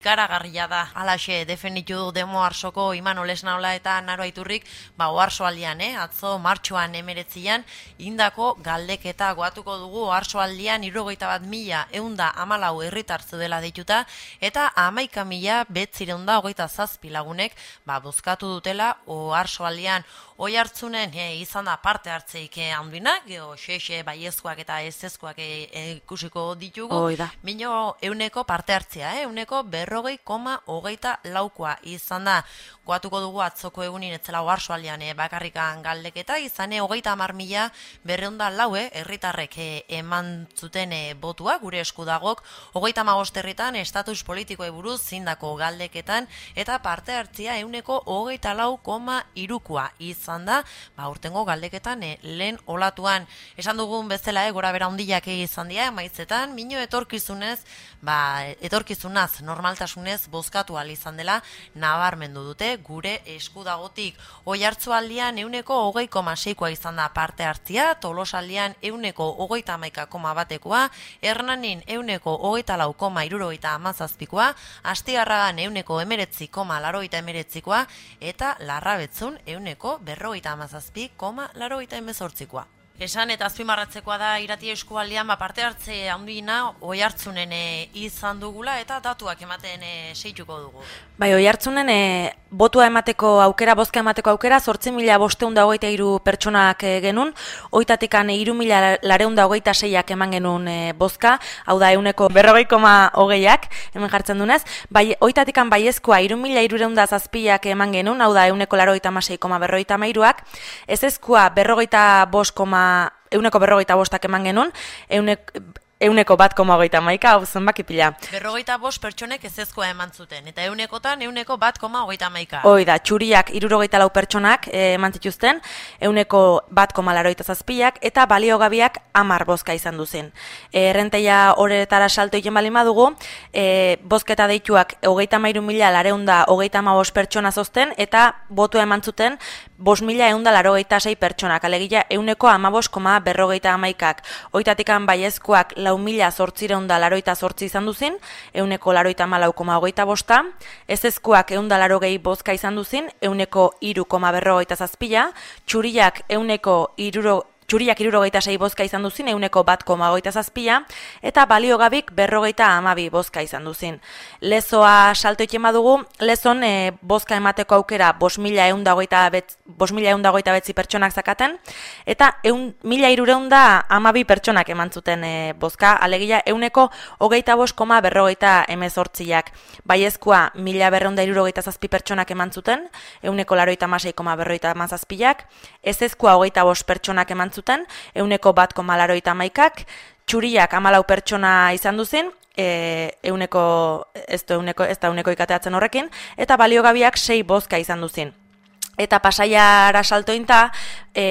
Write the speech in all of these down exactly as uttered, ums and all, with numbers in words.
Garagarria da, alaxe definitu du Demo Arsoko Imanol Esnaola eta Naro Aiturrik, ba oharsoaldian, eh? atzo martxoan emeretzian, indako galdeketa goatuko dugu oharsoaldian hirurogeita bat mila ehunda hamalau herritar zeudela deituta, eta hamaika mila bederatzirehun eta hogeita zazpi lagunek ba bozkatu dutela oharsoaldian. Oihartzunen e, izan da parte hartzeik handinak, geho xexe baiezkoak eta ezezkoak e, e, ikusiko ditugu. Oida. Mino euneko parte hartzea, eh? euneko berrogei koma hogeita laukoa izan da. Goatuko dugu atzoko egunin etzela oharsoaldian e, bakarrikan galdeketa, izane hogeita hamar mila berreunda laue herritarrek e, eman zuten e, botua, gure eskudagok, hogeita hamabost herritan estatus politikoe buruz zindako galdeketan, eta parte hartzea euneko hogeita lau koma hirukoa izan da, ba, urtengo galdeketan e, lehen olatuan. Esan dugun bezala, e, gora bera hundiak izan dira, maitzetan, mino etorkizunez, ba, etorkizunaz, normaltasunez, bozkatu ahal izan dela, nabarmendu dute, gure eskudagotik. Oihartzualdian euneko hogei koma seikoa izan da parte hartzia, Tolosaldian euneko hogeita hamaika koma batekoa, Hernanin euneko hogeita lau koma hirurogeita hamazazpikoa, Astigarragan euneko emeretzi koma larogeita emeretzikoa, eta Larrabetzun euneko berrogeita hamazazpi koma larogeita hemezortzikoa. Esan eta azpimarratzekoa da irati eskualdean ba, parte hartze handiena oihartzunen e, izan dugula eta datuak ematen e, seituko dugu. Bai, oihartzunen e, botua emateko aukera, bozka emateko aukera, zortzi mila bostehun eta hogeita hiru pertsonak e, genuen, oitatikan hiru mila laurehun eta hogeita seiak eman genuen e, bozka, hau da euneko berrogei koma hogeiak, hemen jartzen dunez, bai, oitatikan baiezkoa hiru mila hirurehun eta zazpiak eman genuen, hau da euneko laurogeita hamasei koma berrogeita hamairuak, ezezkoa berrogeita bost koma euneko berrogeita bostak eman genuen, eunek, euneko bat koma hogeita hamaika, hau zenbaki pila. Berrogeita bost pertsonek ezezkoa eman zuten, eta eunekotan euneko bat koma hogeita hamaika. Hoi da, txuriak hirurogeita lau pertsonak e, eman zituzten, euneko bat koma larogeita zazpiak, eta baliogabiak hamar bozka izan duzen. E, Errenteia horretara salto egin bali madugu, e, bozketa deituak hogeita hamairu mila laurehun eta hogeita hamabost pertsona zozten, eta botua eman zuten bost mila ehun eta laurogeita sei pertsonak, alegia euneko hamabost koma berrogeita hamaikak, oitatikan baiezkoak lau mila zortziehun eta laurogeita zortzi izan duzin, euneko laurogeita hamalau koma hogeita bosta, ezezkoak ehun eta laurogei bozka izan duzin, euneko hiru koma berrogeita zazpila, txuriak euneko hiruro Txuriak hirurogeita sei bozka izan duzin, euneko bat koma hogeita zazpila, eta baliogabik berrogeita hamabi bozka izan duzin. Lezoa salto egin badugu, lezon e, bozka emateko aukera bost mila ehun eta hogeita bederatzi pertsonak zakaten, eta mila hirurehun eta hamabi pertsonak eman zuten e, bozka, alegia euneko hogeita bost koma berrogeita hemezortziak. Baiezkoa mila berrehun eta hirurogeita zazpi pertsonak eman zuten, euneko laurogeita hamasei koma berrogeita hamazazpiak, ezezkoa hogeita bost pertsonak eman zuten, zuten, euneko bat koma laurogeita hamaikak, txuriak hamalau pertsona izan duzin, e, euneko, ez da euneko, ez da euneko ikateatzen horrekin, eta baliogabiak sei bozka izan duzin. Eta Pasaiara saltointa, e,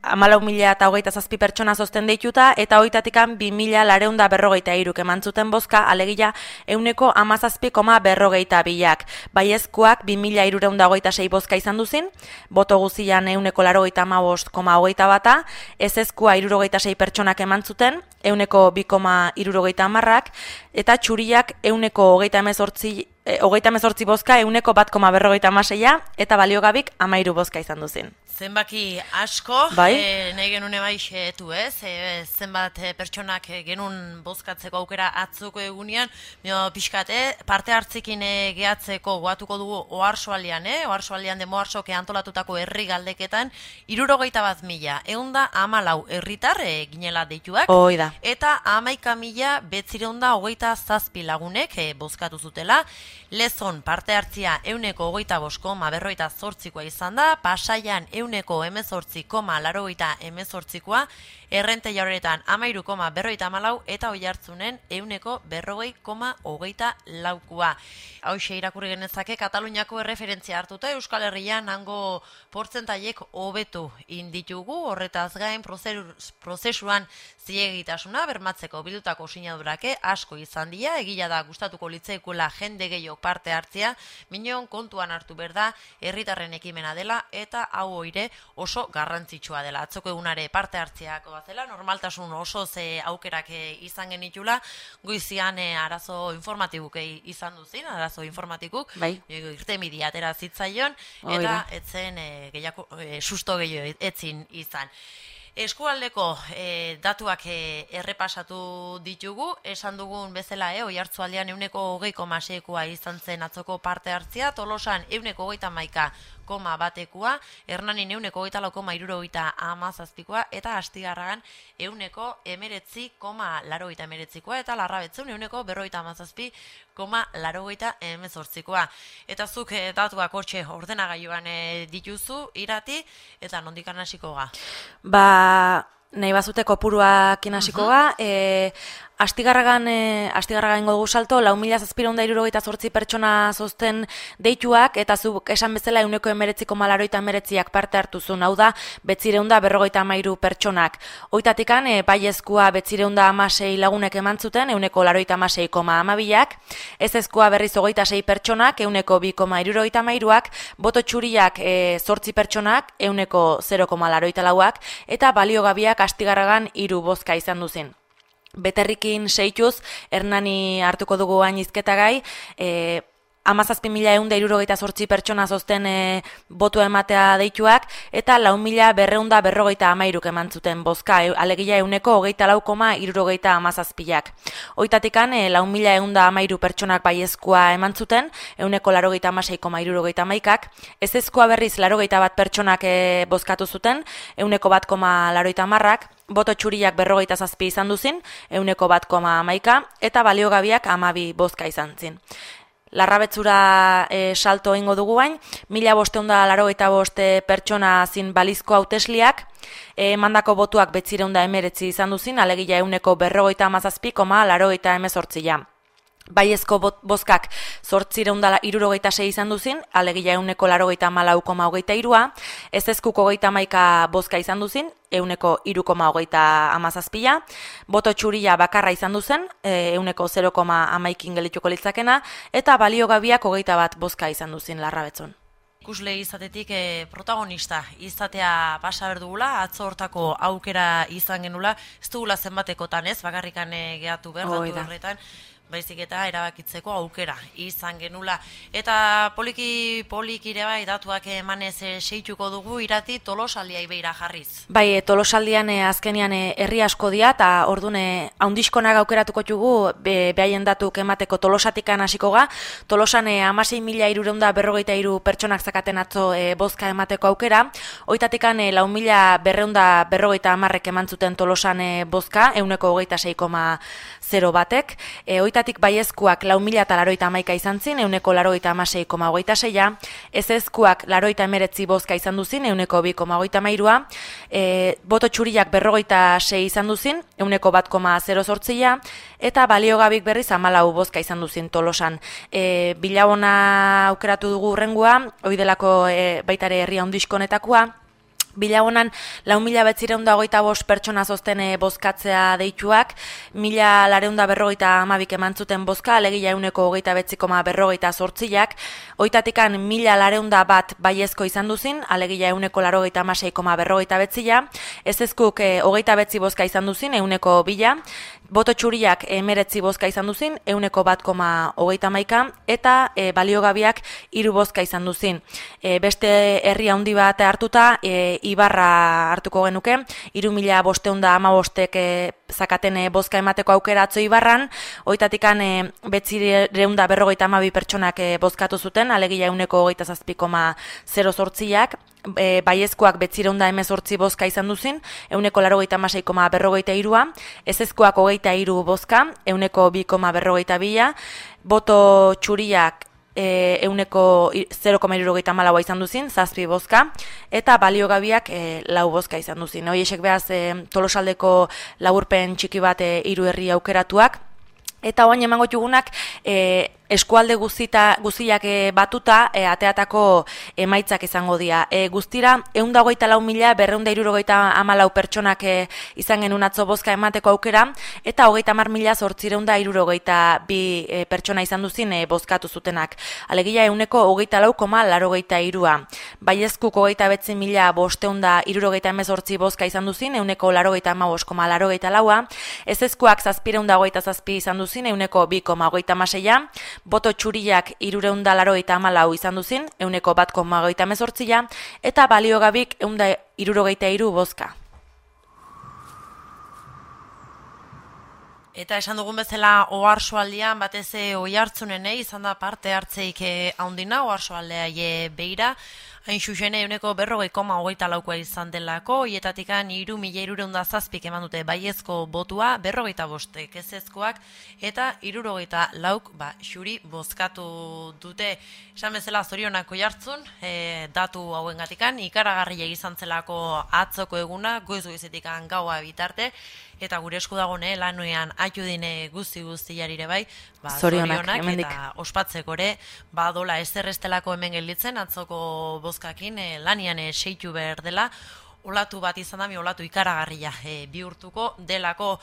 hamalau mila eta hogeita zazpi pertsona zozten deituta, eta hoitatikan bi mila laurehun eta berrogeita hiruk eman zuten bozka, alegia euneko hamazazpi koma berrogeita bilak. Baiezkoak bi mila hirurehun eta hogeita sei bozka izan duzin, boto guzian euneko laurogeita hamabost koma hogeita bata, ezezkoa hirurogeita sei pertsonak eman zuten, euneko bi koma hirurogeita hamarrak, eta txuriak euneko hogeita hemezortzi hogeita hemezortzi bozka, euneko bat koma berrogeita hamaseia, eta baliogabik hamairu bozka izan duzin. Zenbaki asko, bai? e, nahi genuen ebaixetu ez, e, zenbat e, pertsonak e, genuen bozkatzeko aukera atzoko egunean, mio, pixkate, parte hartzekin e, gehatzeko goatuko dugu oharsoaldian, eh? oharsoaldian Demo Arsoke antolatutako herri galdeketan, hirurogeita bat mila, ehunda hamalau herritar e, ginela deituak, Hoi da. eta hamaika mila bederatzirehun eta hogeita zazpi lagunek e, bozkatu zutela. Lezon parte hartzia euneko hogeita bost koma berrogeita zortzikoa izan da, Pasaian euneko hemezortzi koma laurogeita hemezortzikoa, Errenteia horretan hamairu koma berrogeita hamalau, eta Oihartzunen euneko berrogei koma hogeita laukoa. Hauxe irakurri genezake Kataluniako erreferentzia hartuta Euskal Herrian hango portzentaiek hobetu inditugu, horretaz gain prozesuan zilegitasuna bermatzeko bildutako sinadurake asko izan dira, egila da gustatuko litzaikuela jende gehiago parte hartzea, minon kontuan hartu berda herritarren ekimena dela eta hau oire oso garrantzitsua dela. Atzoko egunare parte hartzeako bazela, normaltasun oso ze aukerak e, izan genitula, goizian e, arazo informatibuk e, izan duzin, arazo informatikuk, bai. e, irtenbidea atera zitzaion, eta etzen e, gehiago, e, susto gehiago etzin izan. Eskualdeko e, datuak e, errepasatu ditugu, esan dugun bezala, e, Oiartzualdean euneko hogei koma seikoa izan zen atzoko parte hartzia, Tolosan euneko hogeita hamaika koma batekoa, Hernanin euneko hogeita lau koma hirurogeita hamazazpikoa, eta Astigarragan euneko emeretzi koma laurogeita emeretzikoa, eta Larrabetzun euneko berrogeita hamazazpi koma laurogeita hemezortzikoa. Eta zuk e, datuak hortxe ordenagailuan e, dituzu, Irati, eta nondikan hasiko ga? Ba, nahi bazute kopuruak inasiko ga, uh -huh. e, Astigarragan, e, Astigarragan ingo dugu salto, lau mila zazpireun da hirurogeita zortzi pertsona zozten deituak, eta zuk esan bezala euneko emeretzi koma laurogeita emeretziak parte hartu zuen, hau da, betzireun da berrogeita hamairu pertsonak. Hoitatikan, e, baiezkoa betzireun da hamasei lagunek eman zuten, euneko laurogeita hamasei koma hamabiak, ezezkoa berriz hogeita sei pertsonak, euneko bi koma hirurogeita hamairuak, boto txuriak e, zortzi pertsonak, euneko zero koma laurogeita lauak, eta baliogabiak Astigarragan hiru bozka izan duzen. Beterrikin seituz, Hernani hartuko dugu hain izketagai, e, hamazazpi mila ehun da hirurogeita zortzi pertsona zozten e, botua ematea deituak, eta lau mila berreun da berrogeita hamairuk eman zuten bozka, e, alegia euneko hogeita lau koma hirurogeita hamazazpiak. Hoitatikan, e, lau mila ehun da hamairu pertsonak baiezkoa eman zuten, euneko laurogeita hamasei koma hirurogeita hamaikak, ezezkoa berriz laurogeita bat pertsonak e, bozkatu zuten, euneko bat koma laurogeita hamarrak, boto txuriak berrogeita zazpi izan duzin, euneko bat koma hamaika, eta baliogabiak hamabi bozka izan zin. Larrabetzura e, salto ingo dugu bain, mila bosteun da laurogeita boste pertsona zin balizko hautesliak, e, mandako botuak betzireun da emeretzi izan duzin, alegia euneko berrogeita hamazazpi koma laurogeita hemezortzia. Baiezko bozkak zortzireun da hirurogeita sei izan duzin, alegia euneko laurogeita hamalau koma hogeita hirua, ezezkuko hogeita hamaika bozka izan duzin, euneko hiru koma hogeita hamazazpia, boto txuria bakarra izan duzen, euneko zero koma hamaikin gelituko litzakena, eta baliogabiak hogeita bat bozka izan duzin Larrabetzun. Ikusle izatetik e, protagonista izatea pasa berdugula, atzo hortako aukera izan genula, ez dugula zenbatekotan ez, bakarrikan e, gehatu behar datu horretan, baizik eta erabakitzeko aukera izan genula. Eta poliki poliki ere bai datuak emanez e, seituko dugu Irati Tolosaldiai beira jarriz. Bai, e, Tolosaldian e, azkenian herri e, asko dia, eta orduan e, haundiskonak aukeratuko txugu be, behaien datuk emateko Tolosatikan hasiko ga. Tolosan e, hamasei mila hirureun da berrogeita hiru pertsonak zakaten atzo e, bozka emateko aukera, hoitatikan e, lau mila berreun da berrogeita hamarrek eman zuten Tolosan e, bozka, euneko hogeita sei koma zero batek, e, hoitatik baiezkoak lau mila eta laurogeita hamaika izan zin, euneko laurogeita hamasei koma hogeita seia, ezezkoak laurogeita emeretzi bozka izan duzin, euneko bi koma hogeita hamairua, e, boto txuriak berrogeita sei izan duzin, euneko bat koma zero zortzia, eta baliogabik berriz hamalau bozka izan duzin Tolosan. E, Bilabona aukeratu dugu urrengua, oidelako e, baitare herria handiskonetakoa, Bilabonan lau mila betzireun da hogeita bost pertsona zozten e, bozkatzea deituak, mila lareun da berrogeita hamabik eman zuten bozka, alegia euneko hogeita betzi koma berrogeita zortziak, hoitatikan mila lareun da bat baiezko izan duzin, alegia euneko laurogeita hamasei koma berrogeita betzia, ezezkuk e, hogeita betzi bozka izan duzin, euneko bila, boto txuriak emeretzi bozka izan duzin, euneko bat koma hogeita hamaika, eta e, baliogabiak hiru bozka izan duzin. E, beste herri handi bat hartuta, e, Ibarra hartuko genuke, hiru mila bosteun da hamabostek e, zakaten e, bozka emateko aukera atzo Ibarran, hoitatikan e, betzireun da berrogeita hamabi pertsonak e, bozkatu zuten, alegia euneko hogeita zazpi koma zero zortziak, E, baiezkoak betzireun da hemezortzi bozka izan duzin, euneko laurogeita hamasei koma berrogeita hirua, ezezkoak hogeita hiru bozka, euneko bi koma berrogeita bila, boto txuriak e, euneko zero koma hirurogeita hamalau izan duzin, zazpi bozka, eta baliogabiak e, lau bozka izan duzin. Hoiesek behaz e, Tolosaldeko laburpen txiki bat e, hiru herri aukeratuak, eta oain emango txugunak, e, eskualde guzita, guztiak e, batuta e, ateatako emaitzak izango dira. E, guztira, ehun eta hogeita lau mila berrehun eta hirurogeita hamalau pertsonak e, izan genuen atzo bozka emateko aukera, eta hogeita hamar mila zortziehun eta hirurogeita bi e, pertsona izan duzin e, bozkatu zutenak. Alegia ehuneko hogeita lau koma laurogeita hirua. Baiezkuk hogeita bederatzি mila bostehun eta hirurogeita hemezortzi bozka izan duzin, ehuneko laurogeita hamabost koma laurogeita laua. Ezezkoak zazpiehun eta hogeita zazpi izan duzin, ehuneko bi koma hogeita hamaseia. Boto txuriak hirurehun eta laurogeita hamalau izan duzin, ehuneko bat koma hogeita hemezortzia, eta baliogabik ehun eta hirurogeita hiru bozka. Eta esan dugun bezala oharsoaldian batez oihartzunen izan da parte hartzeik handina oharsoaldea e, beira, hain xuxene ehuneko berrogei koma hogeita laukoa izan delako, hietatikan hiru mila hirurehun eta zazpik eman dute baiezko botua, berrogeita bostek ezezkoak, eta hirurogeita lauk ba, xuri bozkatu dute. Esan bezala zorionak oihartzun, e, datu hauengatikan, ikaragarria izan zelako atzoko eguna, goiz goizetikan gaua bitarte, eta gure esku dagoen lanuean atxudine guzti guztiarire bai, ba, zorionak, zorionak eta ospatzeko ere, ba, dola ezer estelako hemen gelditzen, atzoko bozkakin e, lanian e, seitu behar dela, olatu bat izan da, mi olatu ikaragarria e, bihurtuko delako.